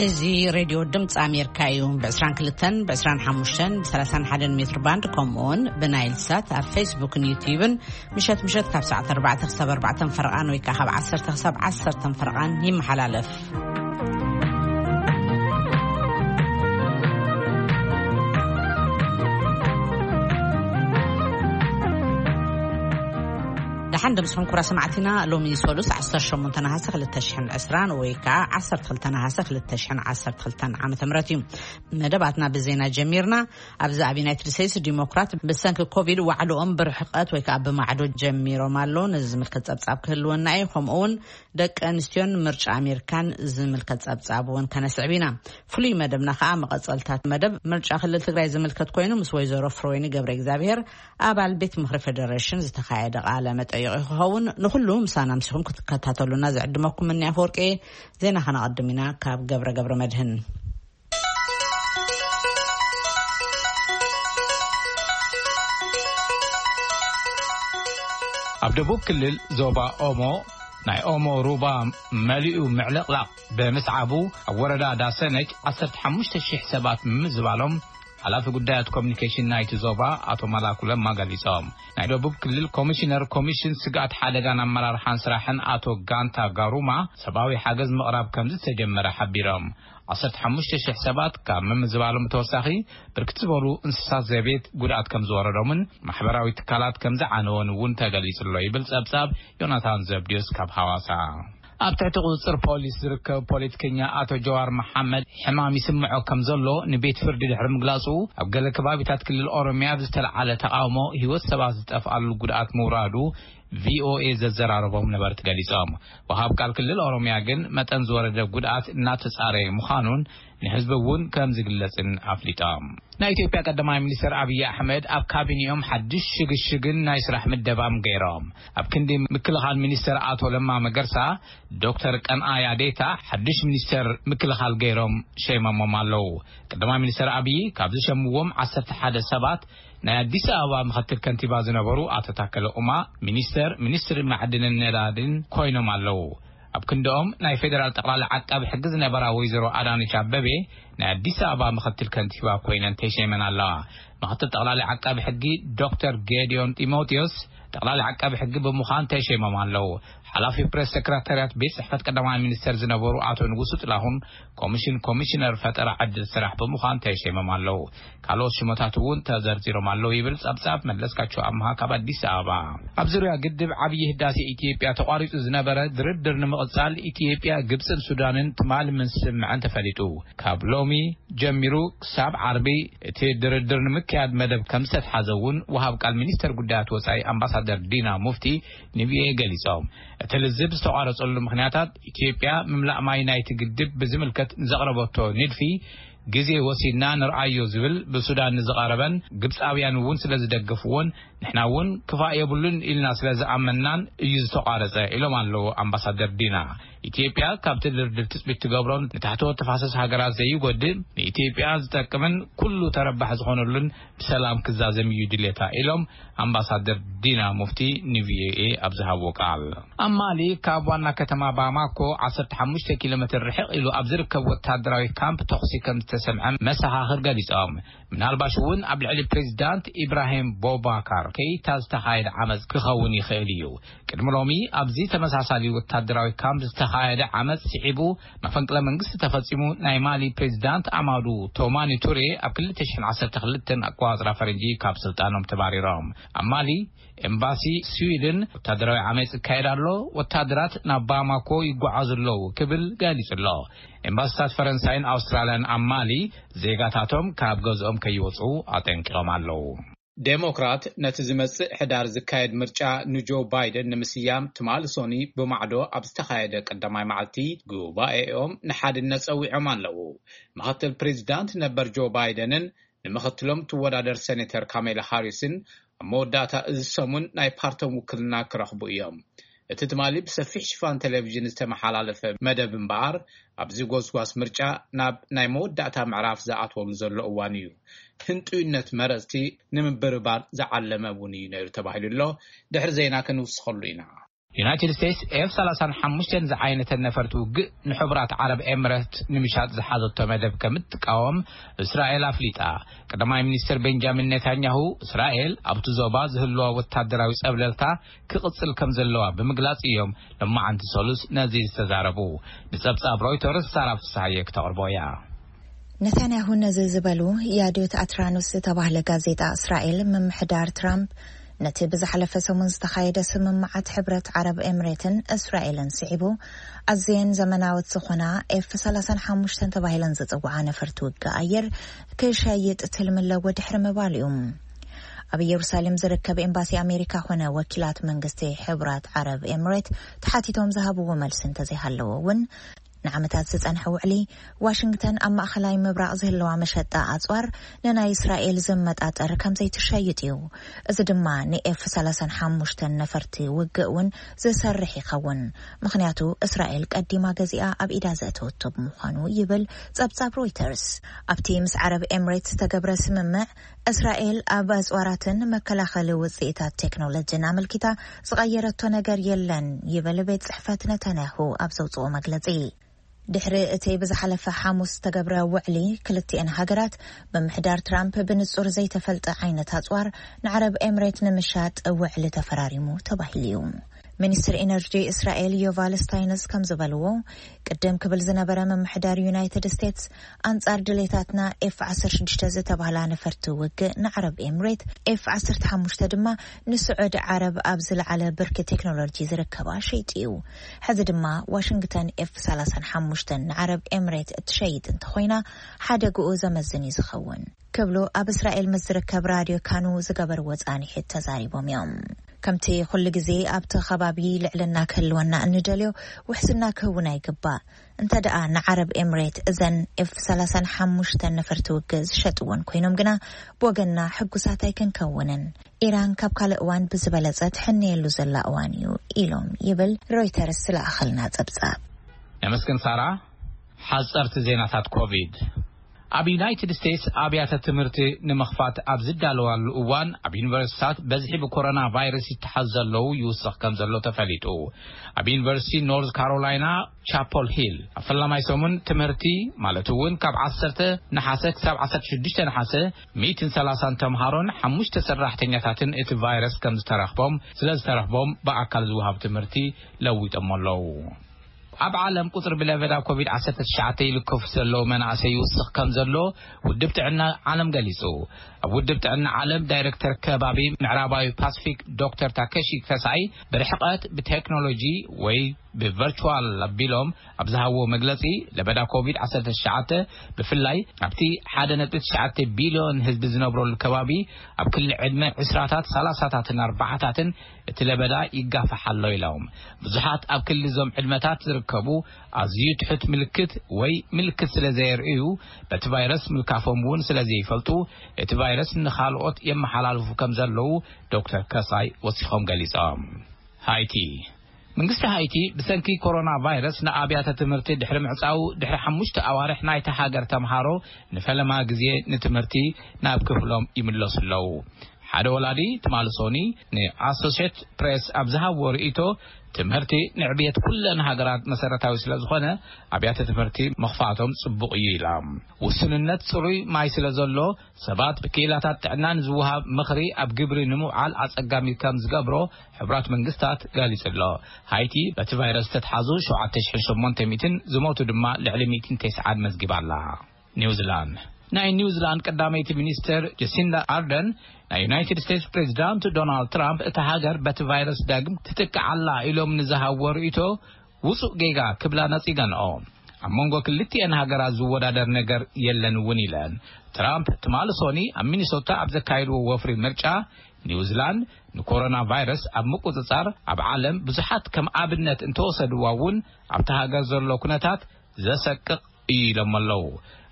እዚ ሬድዮ ድምፂ ኣሜሪካ እዩ። ብ22፣ ብ25፣ ብ31 ሜትር ባንድ፣ ከምኡውን ብናይል ሳት ኣብ ፌስቡክን ዩቲዩብን ምሸት ምሸት ካብ ሰዓት 4 ክሳብ 4 ፈረቓን ወይ ከዓ ካብ 10 ክሳብ 10 ፈረቓን ይመሓላለፍ። ደሓን ደምስኹም ኩራ ሰማዕቲና። ሎሚ ሰሉስ 18 ነሃሰ 2020 ወይ ከዓ 12 ነሃሰ 2012 ዓመተ ምህረት እዩ። መደባትና ብዜና ጀሚርና። ኣብዚ ኣብ ዩናይትድ ስቴትስ ዲሞክራት ብሰንኪ ኮቪድ ዋዕልኦም ብርሕቀት ወይ ከዓ ብማዕዶ ጀሚሮም ኣለዉ። ነዚ ዝምልከት ጸብጻብ ክህልወና እዩ። ከምኡ እውን ደቂ ኣንስትዮን ምርጫ ኣሜሪካን ዝምልከት ጸብጻብ እውን ከነስዕብ ኢና። ፍሉይ መደብና ከዓ መቐጸልታት መደብ ምርጫ ክልል ትግራይ ዝምልከት ኮይኑ ምስ ወይዘሮ ፍረወይኒ ገብረ እግዚኣብሔር ኣባል ቤት ምኽሪ ፌደሬሽን ዝተኻየደ ቃለ መጠይቕ ክኸውን። ንኹሉ ምሳና ምሲኹም ክትከታተሉና ዝዕድመኩም እኒ ኣፈወርቂ። ዜና ከነቐድም ኢና ካብ ገብረ ገብረ መድህን። ኣብ ደቡብ ክልል ዞባ ኦሞ ናይ ኦሞ ሩባ መሊኡ ምዕልቕላቕ ብምስዓቡ ኣብ ወረዳ ዳሰነች 15,000 ሰባት ምምዝባሎም ሓላፊ ጉዳያት ኮሚኒኬሽን ናይቲ ዞባ ኣቶ መላኩ ለማ ገሊጾም። ናይ ደቡብ ክልል ኮሚሽነር ኮሚሽን ስግኣት ሓደጋን ኣመራርሓን ስራሕን ኣቶ ጋንታ ጋሩማ ሰብኣዊ ሓገዝ ምቕራብ ከም ዝተጀመረ ሓቢሮም። 15,000 ሰባት ካብ ምምዝባሎም ተወሳኺ ብርክት ዝበሉ እንስሳት ዘቤት ጉድኣት ከም ዝወረዶምን ማሕበራዊ ትካላት ከም ዝዓነወን እውን ተገሊጹ ኣሎ ይብል ጸብጻብ ዮናታን ዘብድዮስ ካብ ሃዋሳ። ኣብ ትሕቲ ቁጽጽር ፖሊስ ዝርከብ ፖለቲከኛ ኣቶ ጀዋር መሓመድ ሕማም ይስምዖ ከም ዘሎ ንቤት ፍርዲ ድሕሪ ምግላጹ፣ ኣብ ገለ ከባቢታት ክልል ኦሮሚያ ብዝተለዓለ ተቃውሞ ህይወት ሰባት ዝጠፍኣሉ ጉድኣት ምውራዱ ቪኦኤ ዘዘራረቦም ነበርቲ ገሊጾም። ወሃብ ቃል ክልል ኦሮሚያ ግን መጠን ዝወረደ ጉድኣት እናተጻረየ ምዃኑን ንህዝቢ እውን ከም ዝግለጽን ኣፍሊጦም። ናይ ኢትዮጵያ ቀዳማይ ሚኒስትር ኣብይ ኣሕመድ ኣብ ካቢኔኦም ሓድሽ ሽግሽግን ናይ ስራሕ ምደባም ገይሮም። ኣብ ክንዲ ምክልኻል ሚኒስትር ኣቶ ለማ መገርሳ፣ ዶክተር ቀንኣያ ዴታ ሓድሽ ሚኒስትር ምክልኻል ገይሮም ሸይሞሞም ኣለዉ። ቀዳማይ ሚኒስትር ኣብይ ካብ ዝሸምዎም 11 ሰባት ናይ ኣዲስ ኣበባ ምኽትል ከንቲባ ዝነበሩ ኣቶ ታከለ ኡማ ሚኒስተር ሚኒስትሪ ማዕድንን ነዳድን ኮይኖም ኣለዉ። ኣብ ክንድኦም ናይ ፌዴራል ጠቕላሊ ዓቃቢ ሕጊ ዝነበራ ወይዘሮ ኣዳነች ኣበቤ ናይ ኣዲስ ኣበባ ምኽትል ከንቲባ ኮይነን ተሸይመን ኣለዋ። ምኽትል ጠቕላሊ ዓቃቢ ሕጊ ዶክተር ጌዲዮን ጢሞቴዎስ ጠቕላሊ ዓቃቢ ሕጊ ብምዃን ተሸይሞም ኣለዉ። ሓላፊ ፕሬስ ሰክረታርያት ቤት ጽሕፈት ቀዳማይ ሚኒስተር ዝነበሩ ኣቶ ንጉሱ ጥላሁን ኮሚሽን ኮሚሽነር ፈጠራ ዕድል ስራሕ ብምዃን ተሸይሞም ኣለዉ። ካልኦት ሽሞታት እውን ተዘርዚሮም ኣለዉ ይብል ጸብጻብ መለስካቸው ኣምሃ ካብ ኣዲስ ኣበባ። ኣብ ዙርያ ግድብ ዓብዪ ህዳሴ ኢትዮጵያ ተቋሪጹ ዝነበረ ድርድር ንምቕጻል ኢትዮጵያ፣ ግብጽን ሱዳንን ትማሊ ምስምዐን ተፈሊጡ። ካብ ሎሚ ጀሚሩ ክሳብ ዓርቢ እቲ ድርድር ንምክያድ መደብ ከም ዝተትሓዘ እውን ወሃብ ቃል ሚኒስተር ጉዳያት ወጻኢ ኣምባሳደር ዲና ሙፍቲ ንቪኦኤ ገሊጾም። እቲ ልዝብ ዝተቋረጸሉ ምኽንያታት ኢትዮጵያ ምምላእ ማይ ናይቲ ግድብ ብዝምልከት ንዘቕረበቶ ንድፊ ግዜ ወሲድና ንርኣዮ ዝብል ብሱዳን ንዝቐረበን ግብጻውያን እውን ስለ ዝደገፍዎን ንሕና እውን ክፋእ የብሉን ኢልና ስለ ዝኣመንናን እዩ ዝተቋረጸ ኢሎም ኣለዉ ኣምባሳደር ዲና። ኢትዮጵያ ካብቲ ድርድር ትጽቢት ትገብሮን ንታሕተዎት ተፋሰስ ሃገራት ዘይጎድእ ንኢትዮጵያ ዝጠቅምን ኩሉ ተረባሕ ዝኾነሉን ብሰላም ክዛዘም እዩ ድሌታ ኢሎም ኣምባሳደር ዲና ሙፍቲ ንቪኦኤ ኣብ ዝሃብዎ ቃል። ኣብ ማሊ ካብ ዋና ከተማ ባማኮ 15 ኪሎ ሜትር ርሕቕ ኢሉ ኣብ ዝርከብ ወታደራዊ ካምፕ ተኹሲ ከም ዝተሰምዐ መሰኻኽር ገሊጾም። ምናልባሽ እውን ኣብ ልዕሊ ፕሬዚዳንት ኢብራሂም ቦባካር ከይታ ዝተኻየደ ዓመፅ ክኸውን ይኽእል እዩ። ቅድሚ ሎሚ ኣብዚ ተመሳሳሊ ወታደራዊ ካምፕ ዝተኻየደ ዓመፅ ስዒቡ መፈንቅለ መንግስቲ ተፈጺሙ ናይ ማሊ ፕሬዚዳንት ኣማዱ ቶማኒ ቱሬ ኣብ 2012 ኣቆጻጽራ ፈረንጂ ካብ ስልጣኖም ተባሪሮም። ኣብ ማሊ ኤምባሲ ስዊድን ወታደራዊ ዓመፅ ይካየድ ኣሎ፣ ወታደራት ናብ ባማኮ ይጓዓዙ ኣለዉ ክብል ገሊጹ ኣሎ። ኤምባሲታት ፈረንሳይን ኣውስትራልያን ኣብ ማሊ ዜጋታቶም ካብ ገዝኦም ከይወፁ ኣጠንቂቖም ኣለዉ። ዴሞክራት ነቲ ዝመጽእ ሕዳር ዝካየድ ምርጫ ንጆ ባይደን ንምስያም ትማሊ ሶኒ ብማዕዶ ኣብ ዝተኻየደ ቀዳማይ መዓልቲ ጉባኤኦም ንሓድነት ጸዊዖም ኣለዉ። ምኽትል ፕሬዚዳንት ነበር ጆ ባይደንን ንምኽትሎም ትወዳደር ሴኔተር ካሜላ ሃሪስን ኣብ መወዳእታ እዚ ሰሙን ናይ ፓርቶም ውክልና ክረኽቡ እዮም። እቲ ትማሊ ብሰፊሕ ሽፋን ቴሌቪዥን ዝተመሓላለፈ መደብ እምበኣር፣ ኣብዚ ጎስጓስ ምርጫ ናብ ናይ መወዳእታ ምዕራፍ ዝኣትወሉ ዘሎ እዋን እዩ። ህንጡይነት መረጽቲ ንምብርባር ዝዓለመ እውን እዩ ነይሩ ተባሂሉ ኣሎ። ድሕሪ ዜና ክንውስኸሉ ኢና። ዩናይትድ ስቴትስ ኤፍ ሰላሳን ሓሙሽተን ዝዓይነተን ነፈርቲ ውግእ ንሕቡራት ዓረብ ኤምሬት ንምሻጥ ዝሓዘቶ መደብ ከም እትቃወም እስራኤል ኣፍሊጣ። ቀዳማይ ሚኒስትር ቤንጃሚን ኔታንያሁ፣ እስራኤል ኣብቲ ዞባ ዝህልዋ ወታደራዊ ጸብለልታ ክቕጽል ከም ዘለዋ ብምግላጽ እዮም ሎማዓንቲ ሰሉስ ነዚ ዝተዛረቡ። ንጸብጻብ ሮይተርስ ሳራ ፍስሃየ ክተቕርቦ እያ። ነታንያሁ ነዚ ዝበሉ፣ ያዲዮት ኣትራኖስ ዝተባህለ ጋዜጣ እስራኤል፣ ምምሕዳር ትራምፕ ነቲ ብዝሓለፈ ሰሙን ዝተኻየደ ስምምዓት ሕብረት ዓረብ ኤምሬትን እስራኤልን ስዒቡ፣ ኣዝየን ዘመናዎት ዝኾና ኤፍ ሰላሳን ሓሙሽተን ተባሂለን ዝጽውዓ ነፈርቲ ውግእ ኣየር ክሸይጥ ትልሚ ኣለዎ ድሕሪ ምባል እዩ። ኣብ ኢየሩሳሌም ዝርከብ ኤምባሲ ኣሜሪካ ኾነ ወኪላት መንግስቲ ሕብራት ዓረብ ኤምሬት ተሓቲቶም ዝሃብዎ መልሲ እንተዘይሃለዎ እውን፣ ንዓመታት ዝጸንሐ ውዕሊ፣ ዋሽንግተን ኣብ ማእኸላይ ምብራቕ ዝህልዋ መሸጣ ኣጽዋር ንናይ እስራኤል ዝመጣጠር ከም ዘይትሸይጥ እዩ። እዚ ድማ ንኤፍ ሰላሳን ሓሙሽተን ነፈርቲ ውግእ እውን ዝሰርሕ ይኸውን። ምኽንያቱ እስራኤል ቀዲማ ገዚኣ ኣብ ኢዳ ዘእተወቶ ብምዃኑ ይብል ጸብጻብ ሮይተርስ። ኣብቲ ምስ ዓረብ ኤምሬት ዝተገብረ ስምምዕ፣ እስራኤል ኣብ ኣጽዋራትን መከላኸሊ ውጽኢታት ቴክኖሎጂን ኣመልኪታ ዝቐየረቶ ነገር የለን ይብል ቤት ጽሕፈት ነታንያሁ ኣብ ዘውጽኦ መግለጺ። ድሕሪ እቲ ብዝሓለፈ ሓሙስ ዝተገብረ ውዕሊ፣ ክልቲኤን ሃገራት ብምሕዳር ትራምፕ ብንጹር ዘይተፈልጠ ዓይነት ኣጽዋር ንዓረብ ኤምሬት ንምሻጥ ውዕሊ ተፈራሪሙ ተባሂሉ እዩ። ሚኒስትር ኢነርጂ እስራኤል ዮቫል ስታይንስ ከም ዝበልዎ፣ ቅድም ክብል ዝነበረ ምምሕዳር ዩናይትድ ስቴትስ ኣንጻር ድሌታትና ኤፍ ዓሰርተ ሽዱሽተ ዝተባህላ ነፈርቲ ውግእ ንዓረብ ኤምሬት፣ ኤፍ ዓሰርተ ሓሙሽተ ድማ ንስዑዲ ዓረብ ኣብ ዝለዓለ ብርኪ ቴክኖሎጂ ዝርከባ ሸይጡ እዩ። ሕዚ ድማ ዋሽንግተን ኤፍ ሰላሳን ሓሙሽተን ንዓረብ ኤምሬት እትሸይጥ እንተኾይና፣ ሓደግኡ ዘመዝን እዩ ዝኸውን ክብሉ ኣብ እስራኤል ምስ ዝርከብ ራድዮ ካኑ ዝገበርዎ ጻንሒት ተዛሪቦም እዮም። ከምቲ ኩሉ ግዜ ኣብቲ ከባቢ ልዕልና ክህልወና እንደልዮ፣ ውሕስና ክህውና ይግባእ። እንተ ደኣ ንዓረብ ኤምሬት እዘን ኤፍ ሰላሳን ሓሙሽተን ነፈርቲ ውግእ ዝሸጥወን ኮይኖም ግና፣ ብወገንና ሕጉሳት ኣይክንከውንን። ኢራን ካብ ካልእ እዋን ብዝበለጸ ትሕነየሉ ዘላ እዋን እዩ ኢሎም ይብል ሮይተርስ ዝለኣኸልና ጸብጻብ። ነመስግን ሳራ። ሓጸርቲ ዜናታት ኮቪድ። ኣብ ዩናይትድ ስቴትስ ኣብያተ ትምህርቲ ንምኽፋት ኣብ ዝዳለዋሉ እዋን፣ ኣብ ዩኒቨርሲቲታት በዝሒ ብኮሮና ቫይረስ ይተሓዙ ዘለዉ ይውስኽ ከም ዘሎ ተፈሊጡ። ኣብ ዩኒቨርሲቲ ኖርዝ ካሮላይና ቻፖል ሂል ኣብ ፈላማይ ሰሙን ትምህርቲ፣ ማለት እውን ካብ ዓሰርተ ነሓሰ ክሳብ ዓሰርተ ሽዱሽተ ነሓሰ፣ ሚእትን ሰላሳን ተምሃሮን ሓሙሽተ ሰራሕተኛታትን እቲ ቫይረስ ከም ዝተረኽቦም፣ ስለ ዝተረኽቦም ብኣካል ዝወሃብ ትምህርቲ ለዊጦሞ ኣለዉ። ኣብ ዓለም ቁጽሪ ብለበዳ ኮቪድ ዓሰርተ ትሽዓተ ይልከፉ ዘለዉ መናእሰይ ይውስኽ ከም ዘሎ ውድብ ጥዕና ዓለም ገሊጹ። ኣብ ውድብ ጥዕና ዓለም ዳይሬክተር ከባቢ ምዕራባዊ ፓሲፊክ ዶክተር ታከሺ ከሳይ፣ ብርሕቀት፣ ብቴክኖሎጂ ወይ ብቨርቹዋል ኣቢሎም ኣብ ዝሃብዎ መግለጺ፣ ለበዳ ኮቪድ ዓሰርተ ትሽዓተ ብፍላይ ኣብቲ ሓደ ነጥቢ ትሽዓተ ቢልዮን ህዝቢ ዝነብረሉ ከባቢ፣ ኣብ ክሊ ዕድመ ዕስራታት፣ ሰላሳታትን ኣርባዓታትን እቲ ለበዳ ይጋፋሕ ኣሎ ኢሎም። ብዙሓት ኣብ ክሊ እዞም ዕድመታት ዝርከቡ ኣዝዩ ትሑት ምልክት ወይ ምልክት ስለ ዘየርእዩ፣ በቲ ቫይረስ ምልካፎም እውን ስለ ዘይፈልጡ፣ እቲ ቫይረስ ንኻልኦት የመሓላልፉ ከም ዘለዉ ዶክተር ከሳይ ወሲኾም ገሊጾም። ሃይቲ። መንግስቲ ሃይቲ ብሰንኪ ኮሮና ቫይረስ ንኣብያተ ትምህርቲ ድሕሪ ምዕጻው፣ ድሕሪ ሓሙሽተ ኣዋርሕ ናይታ ሃገር ተምሃሮ ንፈለማ ግዜ ንትምህርቲ ናብ ክፍሎም ይምለሱ ኣለዉ። ሓደ ወላዲ ትማሊ ሶኒ ንኣሶሼት ፕሬስ ኣብ ዝሃብዎ ርእይቶ፣ ትምህርቲ ንዕብየት ኩለን ሃገራት መሰረታዊ ስለ ዝኾነ፣ ኣብያተ ትምህርቲ ምኽፋቶም ጽቡቕ እዩ ኢላ። ውስንነት ጽሩይ ማይ ስለ ዘሎ፣ ሰባት ብክኢላታት ጥዕና ንዝወሃብ ምኽሪ ኣብ ግብሪ ንምውዓል ኣጸጋሚ ከም ዝገብሮ ሕቡራት መንግስታት ገሊጹ ኣሎ። ሃይቲ በቲ ቫይረስ ዝተትሓዙ ሸውዓተ ሽሕን ሸሞንተ ሚእትን፣ ዝሞቱ ድማ ልዕሊ ሚእትን ተስዓን መዝጊባ ኣላ። ኒውዚላንድ። ናይ ኒውዚላንድ ቀዳመይቲ ሚኒስትር ጀሲንዳ ኣርደን፣ ናይ ዩናይትድ ስቴትስ ፕሬዚዳንት ዶናልድ ትራምፕ እታ ሃገር በቲ ቫይረስ ዳግም ትጥቃዕ ኣላ ኢሎም ንዝሃብዎ ርእይቶ ውጹእ ጌጋ ክብላ ነጺገንኦ። ኣብ መንጎ ክልቲኤን ሃገራት ዝወዳደር ነገር የለን እውን ኢለን። ትራምፕ ትማሊ ሶኒ ኣብ ሚኒሶታ ኣብ ዘካየድዎ ወፍሪ ምርጫ፣ ኒውዚላንድ ንኮሮና ቫይረስ ኣብ ምቁጽጻር ኣብ ዓለም ብዙሓት ከም ኣብነት እንተወሰድዋ እውን፣ ኣብቲ ሃገር ዘሎ ኩነታት ዘሰቅቕ እዩ ኢሎም ኣለዉ።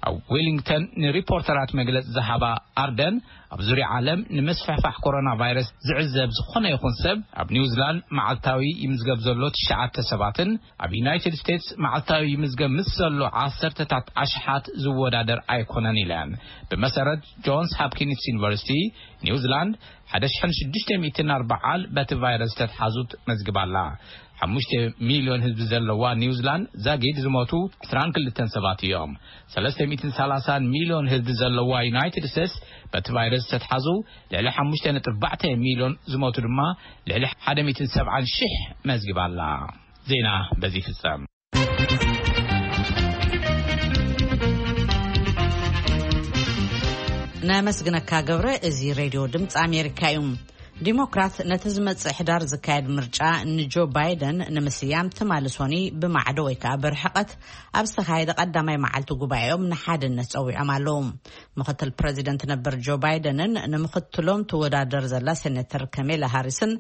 ኣብ ዌሊንግተን ንሪፖርተራት መግለጺ ዝሃባ ኣርደን፣ ኣብ ዙርያ ዓለም ንምስፍሕፋሕ ኮሮና ቫይረስ ዝዕዘብ ዝኾነ ይኹን ሰብ፣ ኣብ ኒውዚላንድ መዓልታዊ ይምዝገብ ዘሎ ትሽዓተ ሰባትን ኣብ ዩናይትድ ስቴትስ መዓልታዊ ይምዝገብ ምስ ዘሎ ዓሰርተታት ኣሽሓት ዝወዳደር ኣይኮነን ኢለን። ብመሰረት ጆንስ ሃፕኪንስ ዩኒቨርሲቲ፣ ኒውዚላንድ ሓደ ሽሕን ሽዱሽተ ሚእትን ኣርባዓን በቲ ቫይረስ ዝተትሓዙ መዝግባ ኣላ። ሓሙሽተ ሚልዮን ህዝቢ ዘለዋ ኒውዚላንድ ዛጊድ ዝሞቱ ዕስራን ክልተን ሰባት እዮም። ሰለስተ ሚእትን ሰላሳን ሚልዮን ህዝቢ ዘለዋ ዩናይትድ ስቴትስ በቲ ቫይረስ ዝተትሓዙ ልዕሊ ሓሙሽተ ነጥቢ ኣርባዕተ ሚልዮን ዝሞቱ ድማ ልዕሊ ሓደ ሚእትን ሰብዓን ሽሕ መዝግባ ኣላ። ዜና በዚ ይፍጸም። ነመስግነካ ገብረ። እዚ ሬድዮ ድምፂ ኣሜሪካ እዩ። ዲሞክራት ነቲ ዝመጽእ ሕዳር ዝካየድ ምርጫ ንጆ ባይደን ንምስያም ትማሊ ሶኒ ብማዕዶ ወይ ከዓ ብርሕቐት ኣብ ዝተኻየደ ቀዳማይ መዓልቲ ጉባኤኦም ንሓድነት ጸዊዖም ኣለዉ። ምክትል ፕረዚደንት ነበር ጆ ባይደንን ንምክትሎም ትወዳደር ዘላ ሴኔተር ከሜላ ሃሪስን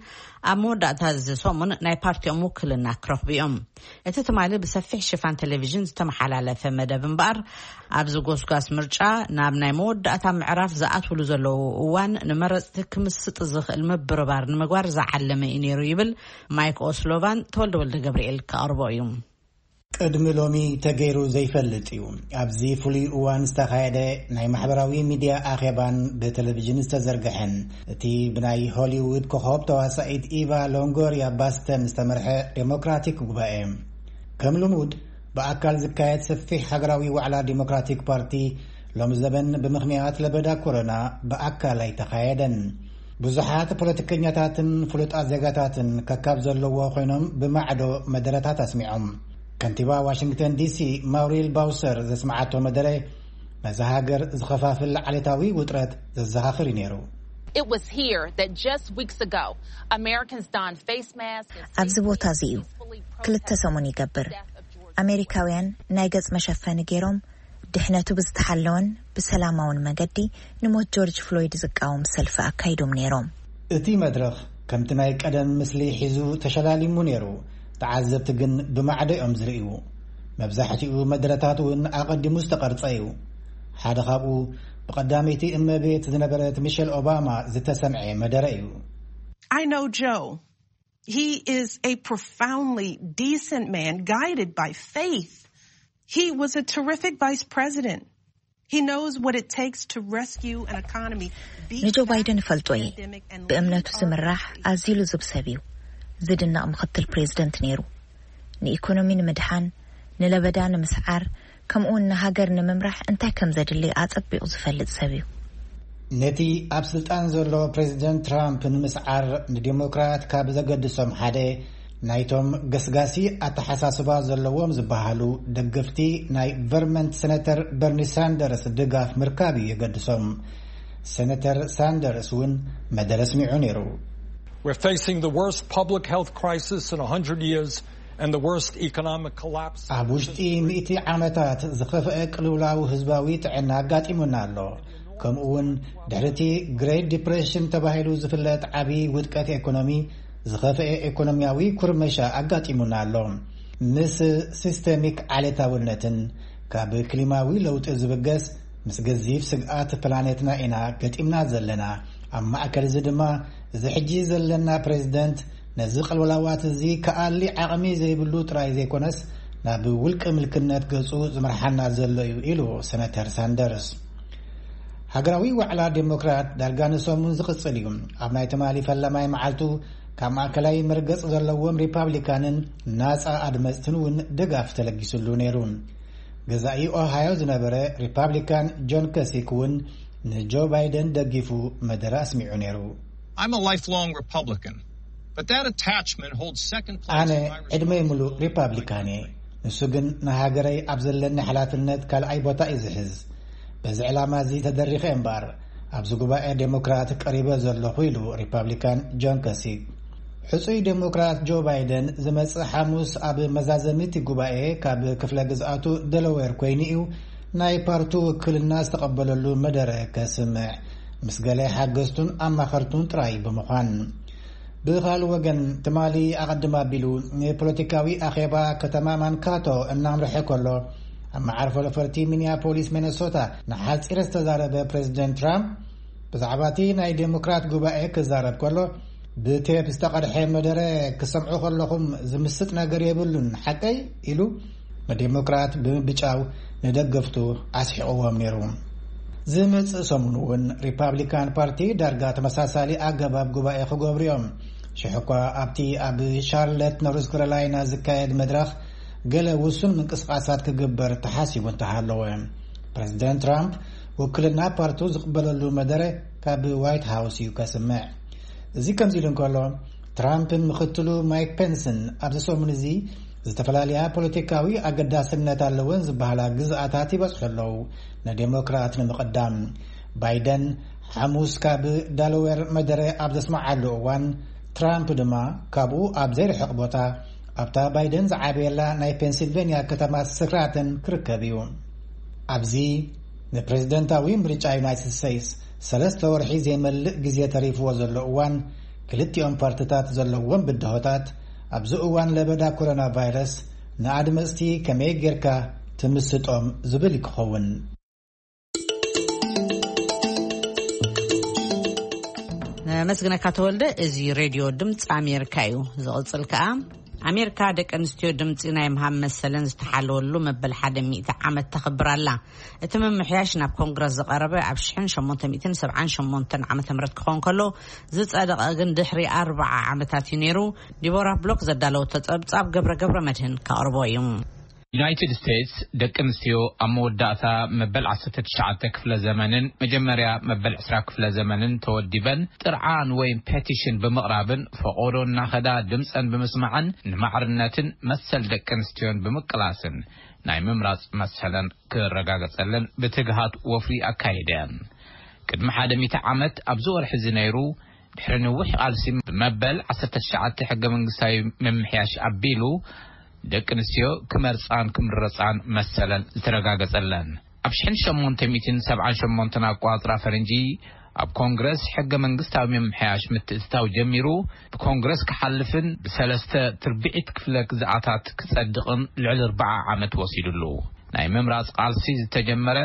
ኣብ መወዳእታ እዚ ሰሙን ናይ ፓርቲኦም ውክልና ክረኽቡ እዮም። እቲ ትማሊ ብሰፊሕ ሽፋን ቴሌቪዥን ዝተመሓላለፈ መደብ እምበኣር፣ ኣብዚ ጎስጓስ ምርጫ ናብ ናይ መወዳእታ ምዕራፍ ዝኣትውሉ ዘለዉ እዋን ንመረፅቲ ክምስጥ ዝኽእል ምብርባር ንምግባር ዝዓለመ እዩ ነይሩ ይብል ማይክ ኦስሎቫን። ተወልደ ወልደ ገብርኤል ክቐርቦ እዩ። ቅድሚ ሎሚ ተገይሩ ዘይፈልጥ እዩ። ኣብዚ ፍሉይ እዋን ዝተኻየደ ናይ ማሕበራዊ ሚድያ ኣኼባን ብቴሌቪዥን ዝተዘርግሐን፣ እቲ ብናይ ሆሊውድ ኮኸብ ተዋሳኢት ኢቫ ሎንጎርያ ባስተን ዝተመርሐ ዴሞክራቲክ ጉባኤ። ከም ልሙድ ብኣካል ዝካየድ ሰፊሕ ሃገራዊ ዋዕላ ዴሞክራቲክ ፓርቲ ሎም ዘበን ብምኽንያት ለበዳ ኮሮና ብኣካል ኣይተኻየደን። ብዙሓት ፖለቲከኛታትን ፍሉጣት ዜጋታትን ከካብ ዘለዎ ኮይኖም ብማዕዶ መደረታት ኣስሚዖም። ከንቲባ ዋሽንግተን ዲሲ ማውሪል ባውሰር ዘስምዓቶ መደረ ነዛ ሃገር ዝኸፋፍል ዓሌታዊ ውጥረት ዘዘኻኽር እዩ ነይሩ። It was here that just weeks ago, Americans donned face masks and ኣብዚ ቦታ እዚ እዩ ክልተ ሰሙን ይገብር ኣሜሪካውያን ናይ ገጽ መሸፈኒ ገይሮም ድሕነቱ ብዝተሓለወን ብሰላማውን መገዲ ንሞት ጆርጅ ፍሎይድ ዝቃወም ሰልፊ ኣካይዶም ነይሮም። እቲ መድረኽ ከምቲ ናይ ቀደም ምስሊ ሒዙ ተሸላሊሙ ነይሩ። ተዓዘብቲ ግን ብማዕዶ እዮም ዝርእዩ። መብዛሕትኡ መድረታት እውን ኣቐዲሙ ዝተቐርጸ እዩ። ሓደ ካብኡ ብቐዳመይቲ እመቤት ዝነበረት ሚሸል ኦባማ ዝተሰምዐ መደረ እዩ። I know Joe. He is a profoundly decent man, guided by faith. He was a terrific vice president. He knows what it takes to rescue an economy. Beat ንጆ ባይደን እፈልጦ እየ። ብእምነቱ ዝምራሕ ኣዝዩ ልዙብ ሰብ እዩ። ዝድነቕ ምኽትል ፕሬዝደንት ነይሩ። ንኢኮኖሚ ንምድሓን፣ ንለበዳ ንምስዓር፣ ከምኡውን ንሃገር ንምምራሕ እንታይ ከም ዘድሊ ኣጸቢቑ ዝፈልጥ ሰብ እዩ። ነቲ ኣብ ስልጣን ዘሎ ፕሬዝደንት ትራምፕ ንምስዓር ንዴሞክራት ካብ ዘገድሶም ሓደ ናይቶም ገስጋሲ ኣተሓሳስባ ዘለዎም ዝበሃሉ ደገፍቲ ናይ ቨርመንት ሴነተር በርኒ ሳንደርስ ድጋፍ ምርካብ እዩ የገድሶም። ሴነተር ሳንደርስ እውን መደረ ኣስሚዑ ነይሩ። We're facing the worst public health crisis in a hundred years and the worst economic collapse. ኣብ ውሽጢ ሚእቲ ዓመታት ዝኸፍአ ቅልውላው ህዝባዊ ጥዕና ኣጋጢሙና ኣሎ። ከምኡ እውን ድሕሪ እቲ ግሬት ዲፕሬሽን ተባሂሉ ዝፍለጥ ዓቢ ውድቀት ኤኮኖሚ ዝኸፍአ ኤኮኖሚያዊ ኩርመሻ ኣጋጢሙና ኣሎ። ምስ ሲስተሚክ ዓሌታውነትን ካብ ክሊማዊ ለውጢ ዝብገስ ምስ ገዚፍ ስግኣት ፕላኔትና ኢና ገጢምና ዘለና። ኣብ ማእከል እዚ ድማ እዚ ሕጂ ዘለና ፕሬዝደንት ነዚ ቅልውላዋት እዚ ክኣሊ ዓቕሚ ዘይብሉ ጥራይ ዘይኮነስ ናብ ውልቂ ምልክነት ገጹ ዝመርሓና ዘሎ እዩ ኢሉ ሰነተር ሳንደርስ። ሃገራዊ ዋዕላ ዴሞክራት ዳርጋ ንሰሙን ዝቕጽል እዩ። ኣብ ናይ ትማሊ ፈላማይ መዓልቱ ካብ ማእከላይ መርገጽ ዘለዎም ሪፓብሊካንን ናጻ ኣድመጽትን እውን ድጋፍ ተለጊስሉ ነይሩ። ገዛኢ ኦሃዮ ዝነበረ ሪፓብሊካን ጆን ከሲክ እውን ንጆ ባይደን ደጊፉ መደረ ኣስሚዑ ነይሩ። I'm a lifelong Republican, but that attachment holds second place ኣነ in my ዕድመይ responsibility. ምሉእ ሪፓብሊካን እየ። ንሱ ግን ንሃገረይ ኣብ ዘለኒ ሓላፍነት ካልኣይ ቦታ እዩ ዝሕዝ። በዚ ዕላማ እዚ ተደሪኸ እምበር ኣብዚ ጉባኤ ዴሞክራት ቀሪበ ዘለኹ ኢሉ ሪፓብሊካን ጆን ከሲክ። ሕጹይ ዴሞክራት ጆ ባይደን ዝመጽእ ሓሙስ ኣብ መዛዘሚቲ ጉባኤ ካብ ክፍለ ግዝኣቱ ደለዌር ኮይኑ እዩ ናይ ፓርቱ ውክልና ዝተቐበለሉ መደረ ከስምዕ፣ ምስ ገለ ሓገዝቱን ኣማኸርቱን ጥራይ ብምዃን። ብኻልእ ወገን ትማሊ ኣቐድም ኣቢሉ ንፖለቲካዊ ኣኼባ ከተማ ማንካቶ እናምርሐ ከሎ ኣብ መዓርፎ ነፈርቲ ሚኒያፖሊስ ሚነሶታ ንሓጺር ዝተዛረበ ፕሬዚደንት ትራምፕ፣ ብዛዕባ እቲ ናይ ዴሞክራት ጉባኤ ክዛረብ ከሎ፣ ብቴፕ ዝተቐድሐ መደረ ክሰምዑ ከለኹም ዝምስጥ ነገር የብሉን፣ ሓቀይ? ኢሉ ንዴሞክራት ብምብጫው ንደገፍቱ ኣስሒቕዎም ነይሩ። ዝመጽእ ሰሙን እውን ሪፓብሊካን ፓርቲ ዳርጋ ተመሳሳሊ ኣገባብ ጉባኤ ክገብሩ እዮም። ሽሕ እኳ ኣብቲ ኣብ ሻርለት ኖርዝ ካሮላይና ዝካየድ መድረኽ ገለ ውሱን ምንቅስቃሳት ክግበር ተሓሲቡ እንተሃለወ፣ ፕሬዚደንት ትራምፕ ውክልና ፓርቱ ዝቕበለሉ መደረ ካብ ዋይት ሃውስ እዩ ከስምዕ። እዚ ከምዚ ኢሉ እንከሎ፣ ትራምፕን ምኽትሉ ማይክ ፔንስን ኣብዚ ሰሙን እዚ ዝተፈላለያ ፖለቲካዊ ኣገዳስነት ኣለወን ዝበሃላ ግዝኣታት ይበጽሑ ኣለዉ። ንዴሞክራት ንምቕዳም፣ ባይደን ሓሙስ ካብ ዳላዌር መደረ ኣብ ዘስምዓሉ እዋን፣ ትራምፕ ድማ ካብኡ ኣብ ዘይርሕቕ ቦታ ኣብታ ባይደን ዝዓበየላ ናይ ፔንሲልቬንያ ከተማ ስክራተን ክርከብ እዩ። ኣብዚ ንፕሬዝደንታዊ ምርጫ ዩናይትድ ስቴትስ ሰለስተ ወርሒ ዘይመልእ ግዜ ተሪፍዎ ዘሎ እዋን፣ ክልቲኦም ፓርትታት ዘለዎም ብድሆታት ኣብዚ እዋን ለበዳ ኮሮና ቫይረስ ንኣድመፅቲ ከመይ ጌርካ ትምስጦም ዝብል ክኸውን። ነመስግነካ ተወልደ። እዚ ሬድዮ ድምፂ ኣሜሪካ እዩ። ዝቕፅል ከኣ፣ ኣሜሪካ ደቂ ኣንስትዮ ድምፂ ናይ ምሃብ መሰለን ዝተሓለወሉ መበል ሓደ ሚእቲ ዓመት ተኽብር ኣላ። እቲ ምምሕያሽ ናብ ኮንግረስ ዝቐረበ ኣብ ሽሕን ሸሞንተ ሚእትን ሰብዓን ሸሞንተን ዓመተ ምህረት ክኸውን ከሎ፣ ዝጸደቐ ግን ድሕሪ ኣርብዓ ዓመታት እዩ ነይሩ። ዲቦራ ብሎክ ዘዳለወቶ ጸብጻብ ገብረ ገብረ መድህን ከቕርቦ እዩ። ዩናይትድ ስቴትስ ደቂ ኣንስትዮ ኣብ መወዳእታ መበል ዓሰርተ ትሽዓተ ክፍለ ዘመንን መጀመርያ መበል ዕስራ ክፍለ ዘመንን ተወዲበን ጥርዓን ወይ ፔቲሽን ብምቕራብን ፈቖዶ እናኸዳ ድምፀን ብምስማዕን ንማዕርነትን መሰል ደቂ ኣንስትዮን ብምቅላስን ናይ ምምራፅ መሰለን ክረጋገፀለን ብትግሃት ወፍሪ ኣካይደን። ቅድሚ ሓደ ሚእቲ ዓመት ኣብዚ ወርሒ እዚ ነይሩ። ድሕሪ ነዊሕ ቃልሲ ብመበል ዓሰርተ ትሽዓተ ሕገ መንግስታዊ ምምሕያሽ ኣቢሉ ደቂ ኣንስትዮ ክመርፃን ክምረፃን መሰለን ዝተረጋገፀለን። ኣብ ሽሕን ሸሞንተ ሚእትን ሰብዓን ሸሞንተን ኣቋፅራ ፈረንጂ ኣብ ኮንግረስ ሕገ መንግስታዊ ምምሕያሽ ምትእትታው ጀሚሩ፣ ብኮንግረስ ክሓልፍን ብሰለስተ ትርብዒት ክፍለ ግዝኣታት ክጸድቕን ልዕሊ ኣርብዓ ዓመት ወሲዱሉ። ናይ ምምራጽ ቃልሲ ዝተጀመረ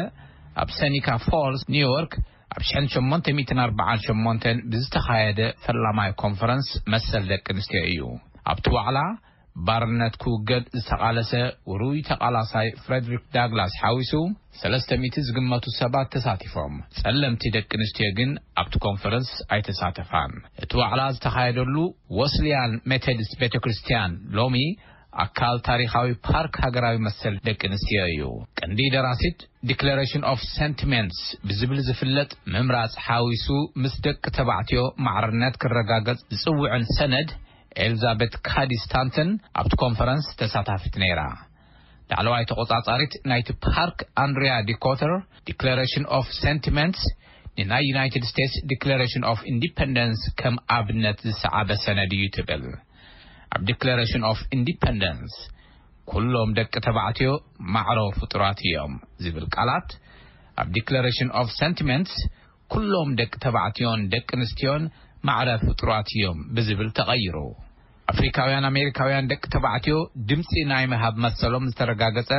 ኣብ ሰኒካ ፎልስ ኒውዮርክ ኣብ ሽሕን ሸሞንተ ሚእትን ኣርብዓን ሸሞንተን ብዝተኻየደ ፈላማይ ኮንፈረንስ መሰል ደቂ ኣንስትዮ እዩ። ኣብቲ ዋዕላ ባርነት ክውገድ ዝተቓለሰ ውሩይ ተቓላሳይ ፍሬድሪክ ዳግላስ ሓዊሱ ሰለስተ ሚእቲ ዝግመቱ ሰባት ተሳቲፎም። ጸለምቲ ደቂ ኣንስትዮ ግን ኣብቲ ኮንፈረንስ ኣይተሳተፋን። እቲ ዋዕላ ዝተኻየደሉ ወስልያን ሜቶዲስት ቤተ ክርስቲያን ሎሚ ኣካል ታሪኻዊ ፓርክ ሃገራዊ መሰል ደቂ ኣንስትዮ እዩ። ቀንዲ ደራሲት ዲክለሬሽን ኦፍ ሰንቲሜንትስ ብዝብል ዝፍለጥ ምምራጽ ሓዊሱ ምስ ደቂ ተባዕትዮ ማዕርነት ክረጋገጽ ዝጽውዕን ሰነድ ኤልዛቤት ካዲ ስታንተን ኣብቲ ኮንፈረንስ ተሳታፊት ነይራ። ላዕለዋይ ተቖጻጻሪት ናይቲ ፓርክ ኣንድሪያ ዲኮተር ዲክለሬሽን ኦፍ ሰንቲመንትስ ንናይ ዩናይትድ ስቴትስ ዲክለሬሽን ኦፍ ኢንዲፐንደንስ ከም ኣብነት ዝሰዓበ ሰነድ እዩ ትብል። ኣብ ዲክለሬሽን ኦፍ ኢንዲፐንደንስ ኩሎም ደቂ ተባዕትዮ ማዕሮ ፍጡራት እዮም ዝብል ቃላት ኣብ ዲክለሬሽን ኦፍ ሰንቲመንትስ ኩሎም ደቂ ተባዕትዮን ደቂ ኣንስትዮን ማዕረ ፍጡራት እዮም ብዝብል ተቐይሩ። ኣፍሪካውያን ኣሜሪካውያን ደቂ ተባዕትዮ ድምፂ ናይ ምሃብ መሰሎም ዝተረጋገፀ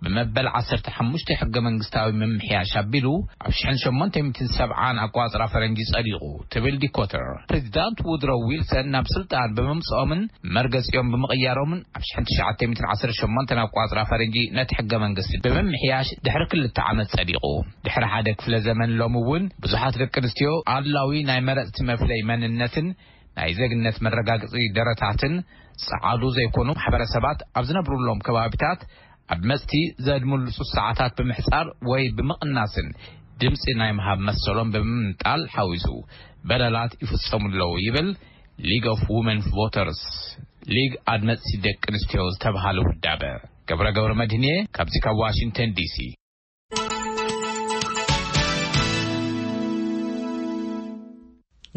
ብመበል ዓሰርተ ሓሙሽተ ሕገ መንግስታዊ ምምሕያሽ ኣቢሉ ኣብ ሽሕን ሸሞንተ ሚእትን ሰብዓን ኣቋፅራ ፈረንጂ ጸዲቑ ትብል ዲኮተር። ፕሬዚዳንት ውድሮ ዊልሰን ናብ ስልጣን ብምምፅኦምን መርገፂኦም ብምቕያሮምን ኣብ ሽሕን ትሽዓተ ሚእትን ዓሰርተ ሸሞንተን ኣቋፅራ ፈረንጂ ነቲ ሕገ መንግስቲ ብምምሕያሽ ድሕሪ ክልተ ዓመት ጸዲቑ። ድሕሪ ሓደ ክፍለ ዘመን ሎሚ እውን ብዙሓት ደቂ ኣንስትዮ ኣድላዊ ናይ መረፅቲ መፍለይ መንነትን ናይ ዜግነት መረጋገፂ ደረታትን ጸዓዱ ዘይኮኑ ማሕበረሰባት ኣብ ዝነብሩሎም ከባቢታት ኣብ መጽቲ ዘድምሉ ሰዓታት ብምሕጻር ወይ ብምቕናስን ድምጺ ናይ ምሃብ መሰሎም ብምምንጣል ሓዊሱ በደላት ይፍጸሙ ኣለዉ ይብል ሊግ ኦፍ ውመን ቮተርስ፣ ሊግ ኣድመጽቲ ደቂ ኣንስትዮ ዝተባሃለ ውዳበ። ገብረ ገብረ መድህንየ ካብዚ ካብ ዋሽንግተን ዲሲ።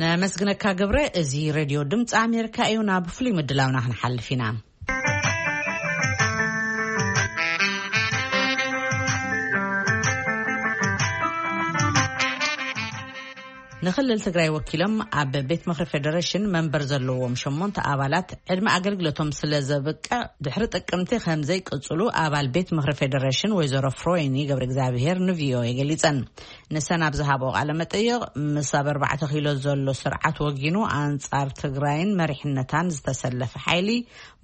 ነመስግነካ ገብረ። እዚ ሬድዮ ድምፂ ኣሜሪካ እዩ። ናብ ፍሉይ ምድላውና ክንሓልፍ ኢና። ንክልል ትግራይ ወኪሎም ኣብ ቤት ምኽሪ ፌደሬሽን መንበር ዘለዎም ሸሞንተ ኣባላት ዕድመ ኣገልግሎቶም ስለ ዘብቅዕ ድሕሪ ጥቅምቲ ከም ዘይቅጽሉ ኣባል ቤት ምኽሪ ፌደሬሽን ወይዘሮ ፍሮይኒ ገብረ እግዚኣብሔር ንቪኦኤ ገሊጸን። ንሰን ኣብ ዝሃብኦ ቃለ መጠይቕ፣ ምስ ኣብ ኣርባዕተ ኪሎ ዘሎ ስርዓት ወጊኑ ኣንጻር ትግራይን መሪሕነታን ዝተሰለፈ ሓይሊ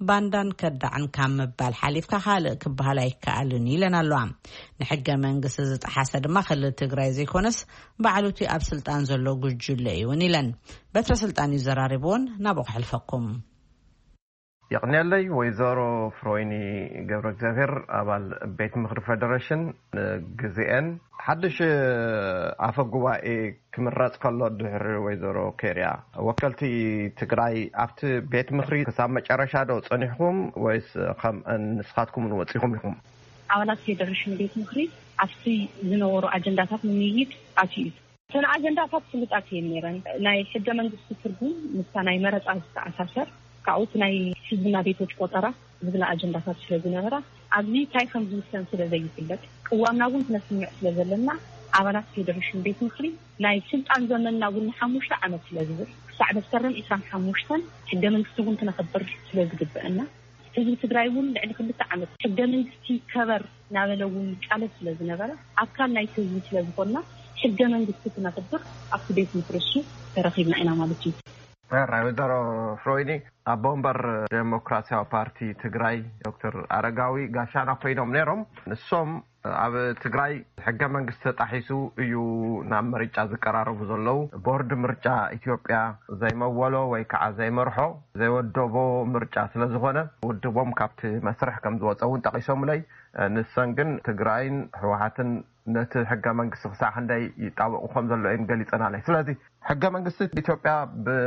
ባንዳን ከዳዕን ካብ ምባል ሓሊፍካ ካልእ ክበሃል ኣይከኣልን ኢለን ኣለዋ። ንሕገ መንግስቲ ዝጠሓሰ ድማ ክልል ትግራይ ዘይኮነስ ባዕሉቲ ኣብ ስልጣን ዘሎ ጉጅለ እዩ እውን ኢለን። በትረ ስልጣን እዩ ዘራሪብዎን ናብኡ ክሕልፈኩም። የቕንየለይ። ወይዘሮ ፍሮይኒ ገብረ እግዚኣብሔር፣ ኣባል ቤት ምኽሪ ፌደሬሽን፣ ንግዜኤን። ሓድሽ ኣፈ ጉባኤ ክምረጽ ከሎ፣ ድሕሪ ወይዘሮ ኬርያ፣ ወከልቲ ትግራይ ኣብቲ ቤት ምኽሪ ክሳብ መጨረሻ ዶ ጸኒሕኩም፣ ወይስ ከም ንስኻትኩም እውን ወጺኹም ኢኹም? ኣባላት ፌደሬሽን ቤት ምኽሪ ኣብቲ ዝነበሩ ኣጀንዳታት ንምይይጥ ኣትዩ እዩ። እተን ኣጀንዳታት ፍሉጣት እየን ነይረን። ናይ ሕገ መንግስቲ ትርጉም ምስታ ናይ መረፃ ዝተኣሳሰር፣ ካብኡ እቲ ናይ ህዝብና ቤቶች ቆጠራ ዝብላ ኣጀንዳታት ስለ ዝነበራ፣ ኣብዚ እንታይ ከም ዝውሰን ስለ ዘይፍለጥ፣ ቅዋምና እውን ክነስምዕ ስለ ዘለና፣ ኣባላት ፌደሬሽን ቤት ምኽሪ ናይ ስልጣን ዘመንና እውን ንሓሙሽተ ዓመት ስለ ዝብል፣ ክሳዕ መስከረም ዕስራን ሓሙሽተን ሕገ መንግስቲ እውን ክነኽብር ስለ ዝግበአና፣ ህዝቢ ትግራይ እውን ልዕሊ ክልተ ዓመት ሕገ መንግስቲ ይከበር እናበለ እውን ይቃለስ ስለ ዝነበረ፣ ኣካል ናይቲ ህዝቢ ስለ ዝኾንና፣ ሕገ መንግስቲ ክነኽብር ኣብቲ ቤት ምኽሪ እሱ ተረኺብና ኢና ማለት እዩ። ሕራይ። ወይዘሮ ፍሮይኒ፣ ኣቦ ወንበር ዴሞክራሲያዊ ፓርቲ ትግራይ ዶክተር ኣረጋዊ ጋሻና ኮይኖም ነይሮም። ንሶም ኣብ ትግራይ ሕገ መንግስቲ ተጣሒሱ እዩ ናብ ምርጫ ዝቀራረቡ ዘለዉ። ቦርድ ምርጫ ኢትዮጵያ ዘይመወሎ ወይ ከዓ ዘይመርሖ፣ ዘይወደቦ ምርጫ ስለ ዝኾነ፣ ውድቦም ካብቲ መስርሕ ከም ዝወፀ እውን ጠቒሶምለይ። ንሰን ግን ትግራይን ህወሓትን ነቲ ሕገ መንግስቲ ክሳዕ ክንደይ ይጣበቑ ከም ዘሎ እየን ገሊፀናለይ። ስለዚ ሕገ መንግስቲ ኢትዮጵያ ብ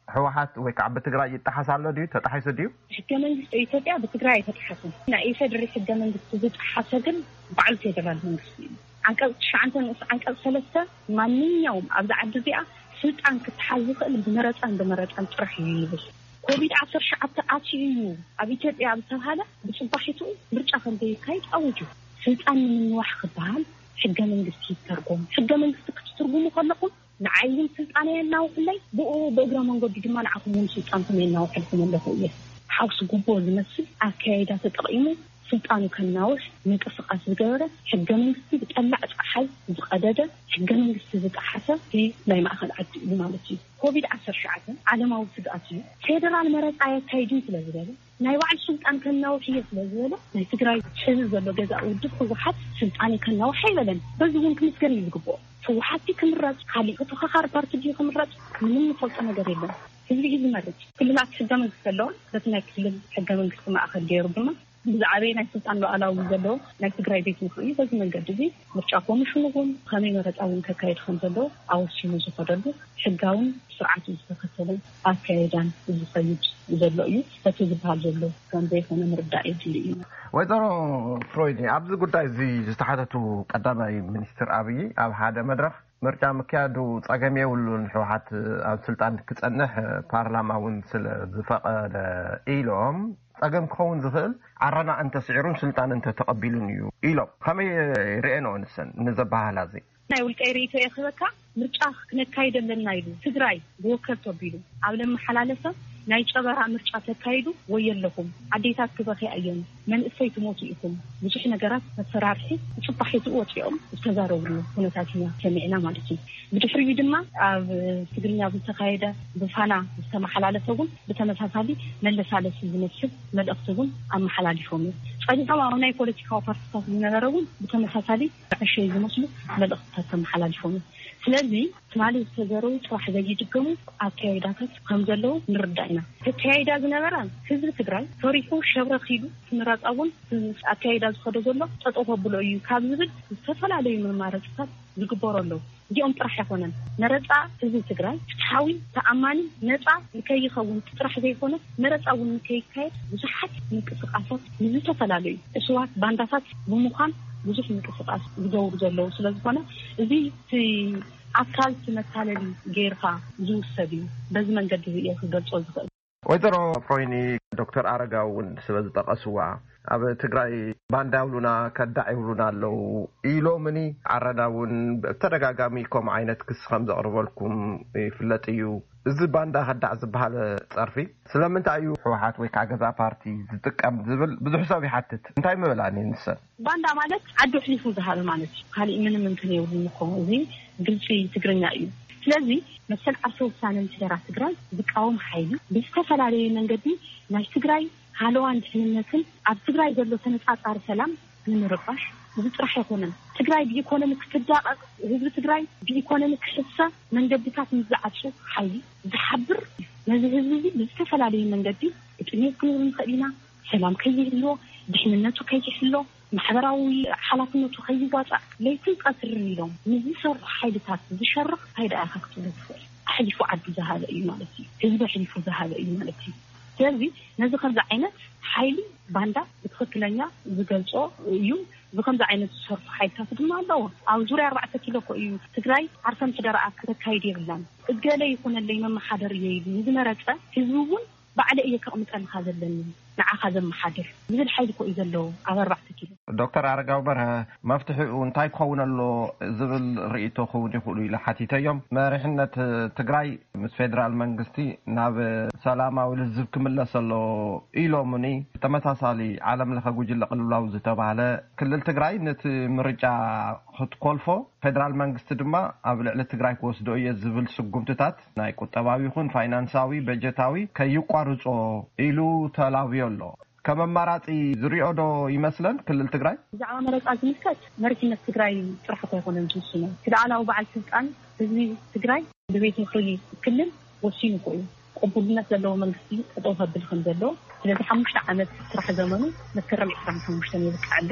ህወሓት ወይ ከዓ ብትግራይ ይጠሓስ ኣሎ ድዩ? ተጣሒሱ ድዩ? ሕገ መንግስቲ ኢትዮጵያ ብትግራይ ኣይተጣሓሰን። ናይ ኢፌድሪ ሕገ መንግስቲ ዝጠሓሰ ግን ባዕሉ ፌደራል መንግስቲ እዩ። ዓንቀፅ ትሽዓተ ንኡስ ዓንቀፅ ሰለስተ፣ ማንኛውም ኣብዚ ዓዲ እዚኣ ስልጣን ክትሓዝ ዝኽእል ብመረፃን ብመረፃን ጥራሕ እዩ ይብል። ኮቪድ ዓሰርተ ትሽዓተ ኣትዩ እዩ ኣብ ኢትዮጵያ ኣብ ዝተብሃለ፣ ብፅባሒትኡ ምርጫ ከም ዘይካይድ ኣውጁ። ስልጣን ንምንዋሕ ክበሃል ሕገ መንግስቲ ይተርጎም። ሕገ መንግስቲ ክትትርጉሙ ከለኹም ንዓይ እውን ስልጣነይ የናውሕለይ፣ ብኡ ብእግረ መንገዱ ድማ ንዓኹም እውን ስልጣንኩም የናውሐልኩም ኣለኹ እየ። ሓውሲ ጉቦ ዝመስል ኣካያይዳ ተጠቒሙ ስልጣኑ ከናውሕ ምንቅስቃስ ዝገበረ፣ ሕገ መንግስቲ ብጠላዕ ፀሓይ ዝቐደደ፣ ሕገ መንግስቲ ዝጠሓሰ እቲ ናይ ማእኸል ዓዲ እዩ ማለት እዩ። ኮቪድ ዓሰርተ ትሽዓተ ዓለማዊ ስግኣት እዩ። ፌደራል መረፃ የካይድን ስለ ዝበለ፣ ናይ ባዕሉ ስልጣን ከናውሕ እየ ስለ ዝበለ፣ ናይ ትግራይ ሕዚ ዘሎ ገዛኢ ውድብ ህወሓት ስልጣነይ ከናውሕ ኣይበለን። በዚ እውን ክምስገን እዩ ዝግብኦ። ህወሓት ክምረፅ፣ ካሊእ ተኸኻሪ ፓርቲ ድዩ ክምረፅ፣ ምንም ንፈልጦ ነገር የለን። ህዝቢ እዩ ዝመርፅ። ክልላት ሕገ መንግስቲ ኣለዎ። በቲ ናይ ክልል ሕገ መንግስቲ ማእኸል ገይሩ ድማ ብዛዕባ ናይ ስልጣን ሉዓላዊ ዘለዎ ናይ ትግራይ ቤት ምኽሪ እዩ። በዚ መንገዲ እዚ ምርጫ ኮሚሽን እውን ከመይ መረፃ እውን ከካየድ ከም ዘለዎ ኣወሲኑ ዝኸደሉ ሕጋውን ስርዓቱ ዝተኸተለን ኣካየዳን ዝኸይድ ዘሎ እዩ። በቲ ዝበሃል ዘሎ ከም ዘይኮነ ምርዳእ የድሊ እዩ። ወይዘሮ ፍሮይኒ፣ ኣብዚ ጉዳይ እዚ ዝተሓተቱ ቀዳማይ ሚኒስትር ኣብይ ኣብ ሓደ መድረኽ፣ ምርጫ ምክያዱ ጸገም የብሉን፣ ህወሓት ኣብ ስልጣን ክጸንሕ ፓርላማ እውን ስለ ዝፈቐደ ኢሎም፣ ጸገም ክኸውን ዝኽእል ዓረና እንተስዒሩን ስልጣን እንተተቐቢሉን እዩ ኢሎም። ከመይ ርእየንኦ ንሰን ንዘበሃህላ እዚ? ናይ ውልቀይ ርእይቶ እየ ክህበካ። ምርጫ ክነካይድ ኣለና ኢሉ ትግራይ ብወከልቶ ኣቢሉ ኣብ ለመሓላለፈ ናይ ጨበራ ምርጫ ተካይዱ፣ ወየለኹም ኣዴታት ክበኽያ እየን፣ መንእሰይ ትሞቱ ኢኹም፣ ብዙሕ ነገራት መፈራርሒ ብፅባሒትኡ ወፂኦም ዝተዛረብሉ ኩነታት ኢና ሰሚዕና ማለት እዩ። ብድሕሪኡ ድማ ኣብ ትግርኛ ዝተካየደ ብፋና ዝተመሓላለፈ እውን ብተመሳሳሊ መለሳለሲ ዝመስል መልእኽቲ እውን ኣመሓላሊፎም እዮም። ፀኒሖም ኣብ ናይ ፖለቲካዊ ፓርቲታት ዝነበረ እውን ብተመሳሳሊ ዕሸይ ዝመስሉ መልእኽትታት ተመሓላሊፎም እዮም። ስለዚ ትማሊ ዝተዘረቡ ፅባሕ ዘይድገሙ ኣካያይዳታት ከም ዘለዉ ንርዳእ ኢና። ተካያይዳ ዝነበረ ህዝቢ ትግራይ ፈሪሑ ሸብረኽ ኢሉ እቲ መረፃ እውን ኣካያይዳ ዝኸዶ ዘሎ ጠጠው ከብሎ እዩ ካብ ዝብል ዝተፈላለዩ መማረፅታት ዝግበሩ ኣለዉ። እዚኦም ጥራሕ ኣይኮነን። መረፃ ህዝቢ ትግራይ ፍትሓዊ፣ ተኣማኒ፣ ነፃ ንከይኸውን ጥራሕ ዘይኮነ መረፃ እውን ንከይካየድ ብዙሓት ምንቅስቃሳት ንዝተፈላለዩ እሱባት ባንዳታት ብምዃን ብዙሕ ምንቅስቃስ ዝገብሩ ዘለዉ ስለዝኾነ እዚ እቲ ኣካል እቲ መታለሊ ገይርካ ዝውሰድ እዩ። በዚ መንገዲ እዚ እየ ክገልፆ ዝኽእል። ወይዘሮ ፍሮይኒ፣ ዶክተር ኣረጋዊ እውን ስለ ዝጠቐስዋ፣ ኣብ ትግራይ ባንዳ ይብሉና፣ ከዳዕ ይብሉና ኣለዉ ኢሎምኒ። ዓረና እውን ብተደጋጋሚ ከምኡ ዓይነት ክሲ ከም ዘቕርበልኩም ይፍለጥ እዩ። እዚ ባንዳ ከዳዕ ዝበሃል ጸርፊ ስለምንታይ እዩ ህወሓት ወይ ከዓ ገዛ ፓርቲ ዝጥቀም ዝብል ብዙሕ ሰብ ይሓትት። እንታይ ምበላኒ ንሰን? ባንዳ ማለት ዓዱ ኣሕሊፉ ዝሃበ ማለት እዩ። ካሊእ ምንም እንትን የብሉን እኮ። እዚ ግልፂ ትግርኛ እዩ። ስለዚ መሰል ዓርሰ ውሳነ ምሕደራ ትግራይ ዝቃወም ሓይሊ ብዝተፈላለየ መንገዲ ናይ ትግራይ ሃለዋን ድሕንነትን ኣብ ትግራይ ዘሎ ተነፃፃሪ ሰላም ንምርባሽ እዚ ጥራሕ ኣይኮነን። ትግራይ ብኢኮኖሚ ክትዳቐቕ፣ ህዝቢ ትግራይ ብኢኮኖሚ ክሕሰ መንገድታት ምስ ዝዓፁ ሓይሊ ዝሓብር እዩ። ነዚ ህዝቢ እዚ ብዝተፈላለየ መንገዲ ብጥሜት ክንብል ንኽእል ኢና። ሰላም ከይህልዎ፣ ድሕንነቱ ከይሕሎ፣ ማሕበራዊ ሓላፍነቱ ከይዋፃእ ለይትን ቀትርን ኢሎም ንዝሰርሑ ሓይልታት ዝሸርኽ እንታይ ደኣ ኢኻ ክትብሎ ትኽእል? ኣሕሊፉ ዓዱ ዝሃበ እዩ ማለት እዩ። ህዝቢ ኣሕሊፉ ዝሃበ እዩ ማለት እዩ። ስለዚ ነዚ ከምዚ ዓይነት ሓይሊ ባንዳ ብትኽክለኛ ዝገልጾ እዩ። እዚ ከምዚ ዓይነት ዝሰርሑ ሓይልታት ድማ ኣለዎ። ኣብ ዙርያ ኣርባዕተ ኪሎ እኮ እዩ ትግራይ ዓርሰ ምሕደራኣ ከተካይድ የብላን። እገለ ይኹነለይ መመሓደር እየ ኢሉ ንዝመረጸ ህዝቢ እውን ባዕለ እየ ከቕምጠልካ ዘለኒ ንዓኻ ዘመሓድር ዝብል ሓይሊ እኮ እዩ ዘለዎ ኣብ ኣርባዕተ ኪሎ። ዶክተር ኣረጋዊ በርሀ፣ መፍትሒኡ እንታይ ክኸውን ኣሎ ዝብል ርእይቶ ክውን ይኽእሉ ኢለ ሓቲተዮም። መሪሕነት ትግራይ ምስ ፌደራል መንግስቲ ናብ ሰላማዊ ልዝብ ክምለስ ኣሎ ኢሎምኒ። ተመሳሳሊ ዓለም ለኸ ጉጅለ ቅልውላው ዝተባህለ ክልል ትግራይ ነቲ ምርጫ ክትኮልፎ፣ ፌደራል መንግስቲ ድማ ኣብ ልዕሊ ትግራይ ክወስዶ እየ ዝብል ስጉምትታት ናይ ቁጠባዊ ይኹን ፋይናንሳዊ፣ በጀታዊ ከይቋርጾ ኢሉ ተላብዮ ኣሎ። ከም ኣማራጺ ዝሪኦ ዶ ይመስለን ክልል ትግራይ? ብዛዕባ መረፃ ዝምልከት መሪሕነት ትግራይ ጥራሕ እኮ ኣይኮነን ዝውስኖ። እቲ ላዕላዊ በዓል ስልጣን ህዝቢ ትግራይ ብቤት ምኽሪ ክልል ወሲኑ እኮ እዩ። ቅቡልነት ዘለዎ መንግስቲ ጠጠው ከብል ከም ዘለዎ። ስለዚ ሓሙሽተ ዓመት ስራሕ ዘመኑ መስከረም ዕስራን ሓሙሽተን የብቅዕ ኣሎ።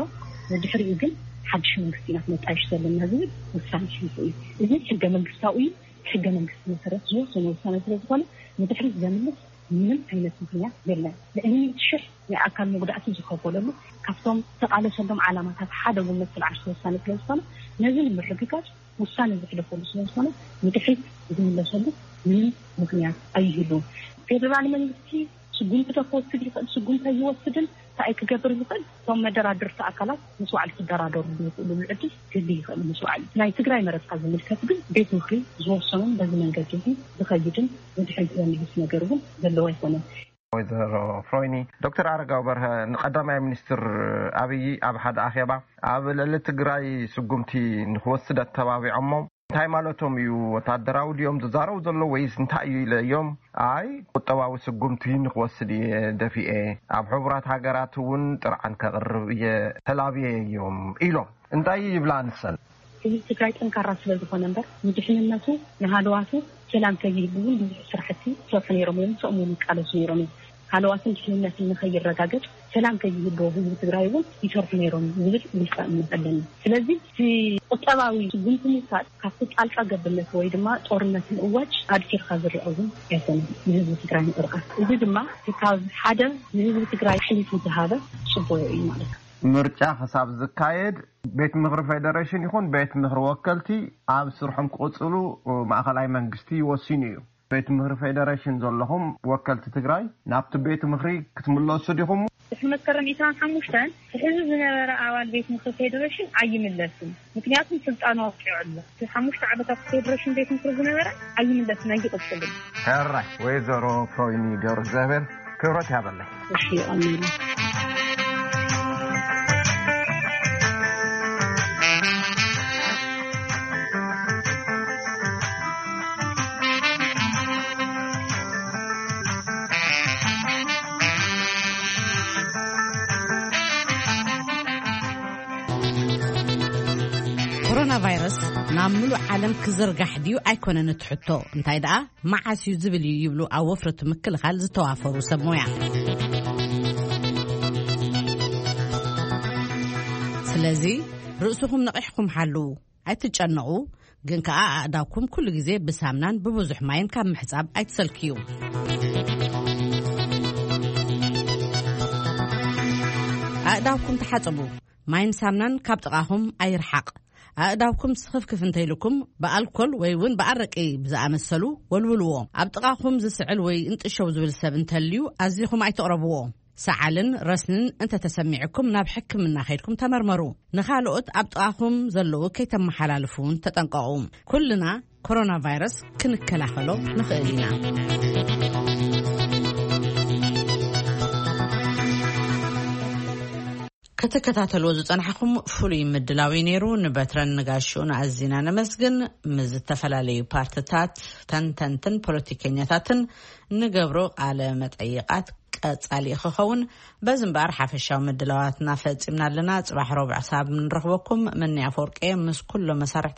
ንድሕሪኡ ግን ሓድሽ መንግስቲ ኢና ክነጣይሽ ዘለና ዝብል ውሳነ ኣሕሊፉ እዩ። እዚ ሕገ መንግስታዊ እዩ። ሕገ መንግስቲ መሰረት ዝወሰነ ውሳነ ስለ ዝኾነ ንድሕሪት ዘምልስ ምንም ዓይነት ምኽንያት የለን። ልዕሊ ሚእቲ ሽሕ ናይ ኣካል መጉዳእቲ ዝኸፈለሉ ካብቶም ዝተቓለሰሎም ዓላማታት ሓደ እውን መሰል ዓርሰ ውሳነ ስለ ዝኾነ ነዚ ንምርግጋጽ ውሳነ ዘሕለፈሉ ስለ ዝኾነ ንድሕሪት ዝምለሰሉ ምንም ምኽንያት ኣይህሉን። ፌደራል መንግስቲ ስጉምቲ ዶ ክወስድ ይኽእል፣ ስጉምቲ ኣይወስድን፣ እንታይ ክገብር ዝኽእል፣ እቶም መደራድርቲ ኣካላት ምስ ባዕሉ ክደራደሩ ዝኽእሉሉ ዕድል ክህሉ ይኽእል ምስ ባዕሉ። ናይ ትግራይ መረፃ ዝምልከት ግን ቤት ምኽሪ ዝወሰኑን በዚ መንገዲ እዚ ዝኸይድን ንድሕሪት ዘምልስ ነገር እውን ዘለዎ ኣይኮነን። ወይዘሮ ፍሮይኒ፣ ዶክተር ኣረጋዊ በርሀ ንቀዳማይ ሚኒስትር ኣብይ ኣብ ሓደ ኣኼባ ኣብ ልዕሊ ትግራይ ስጉምቲ ንክወስድ ኣተባቢዖሞ። እንታይ ማለቶም እዩ? ወታደራዊ ድዮም ዝዛረቡ ዘለዉ ወይስ እንታይ እዩ ኢለ እዮም? ኣይ ቁጠባዊ ስጉምቲ ንክወስድ እየ ደፊኤ፣ ኣብ ሕቡራት ሃገራት እውን ጥርዓን ከቕርብ እየ ተላብየ እዮም ኢሎም። እንታይ ይብላ ንሰን? ህዝቢ ትግራይ ጠንካራ ስለ ዝኾነ እምበር ንድሕንነቱ ንሃለዋቱ ሰላም ከይህሉ እውን ብዙሕ ስራሕቲ ይሰርሑ ነይሮም እዮም። ምስኦም እውን ይቃለሱ ነይሮም እዮም። ሃለዋትን ድሕንነትን ንኸይረጋገጽ ሰላም ከይህልዎ ህዝቢ ትግራይ እውን ይሰርሑ ነይሮም ዝብል ውልቀ እምነት ኣለኒ። ስለዚ እቲ ቁጠባዊ ስጉምቲ ምውሳድ ካብቲ ጣልቃ ገብነት ወይ ድማ ጦርነት ምእዋጅ ኣድኪርካ ዝረአ እውን ኣይኮነን ንህዝቢ ትግራይ ምቕርቃር። እዚ ድማ ካብ ሓደ ንህዝቢ ትግራይ ኣሕሊፉ ዝሃበ ጽቡቕ እዩ ማለት እዩ። ምርጫ ክሳብ ዝካየድ ቤት ምኽሪ ፌደሬሽን ይኹን ቤት ምኽሪ ወከልቲ ኣብ ስርሖም ክቕፅሉ ማእኸላይ መንግስቲ ወሲኑ እዩ። ቤት ምኽሪ ፌደሬሽን ዘለኹም ወከልቲ ትግራይ ናብቲ ቤት ምኽሪ ክትምለሱ ዲኹም? ድሕሪ መስከረም ዕስራን ሓሙሽተን እቲ ሕዚ ዝነበረ ኣባል ቤት ምኽሪ ፌደሬሽን ኣይምለስን። ምክንያቱም ስልጣኑ ኣውቂዑ ኣሎ። እቲ ሓሙሽተ ዓመታት ፌደሬሽን ቤት ምኽሪ ዝነበረ ኣይምለስን፣ ኣይቕፅልን። ሕራይ ወይዘሮ ፍሮይኒ ገብረ እግዚኣብሔር ክብረት ያበለይ። እሺ፣ ኣሜን። ኮሮና ቫይረስ ናብ ምሉእ ዓለም ክዝርጋሕ ድዩ ኣይኮነን እቲ ሕቶ፣ እንታይ ደኣ መዓስ እዩ ዝብል እዩ ይብሉ ኣብ ወፍሪ ምክልኻል ዝተዋፈሩ ሰብ ሞያ። ስለዚ ርእስኹም ነቒሕኩም ሓልዉ፣ ኣይትጨነቑ፣ ግን ከኣ ኣእዳውኩም ኩሉ ግዜ ብሳምናን ብብዙሕ ማይን ካብ ምሕጻብ ኣይትሰልክዩ። ኣእዳውኩም ተሓጸቡ፣ ማይን ሳምናን ካብ ጥቓኹም ኣይርሓቕ። ኣእዳውኩም ስኽፍክፍ እንተይልኩም ብኣልኮል ወይ እውን ብኣረቂ ብዝኣመሰሉ ወልውልዎ። ኣብ ጥቓኹም ዝስዕል ወይ እንጥሸው ዝብል ሰብ እንተልዩ ኣዚኹም ኣይትቕረብዎ። ሰዓልን ረስንን እንተተሰሚዕኩም ናብ ሕክምና ከይድኩም ተመርመሩ። ንኻልኦት ኣብ ጥቓኹም ዘለዉ ከይተመሓላልፉ እውን ተጠንቀቑ። ኩልና ኮሮና ቫይረስ ክንከላኸሎ ንኽእል ኢና። ክትከታተልዎ ዝጸናሕኩም ፍሉይ ምድላው እዩ ነይሩ። ንበትረን ንጋሽኡን ኣዚና ነመስግን። ምስ ዝተፈላለዩ ፓርትታት፣ ተንተንትን ፖለቲከኛታትን ንገብሮ ቃለ መጠይቓት ቀጻሊ ክኸውን። በዚ እምበኣር ሓፈሻዊ ምድላዋትና ፈጺምና ኣለና። ጽባሕ ረቡዕ ክሳብ ንረኽበኩም፣ መኒ ኣፈወርቂ ምስ ኩሎም መሳርሕተይ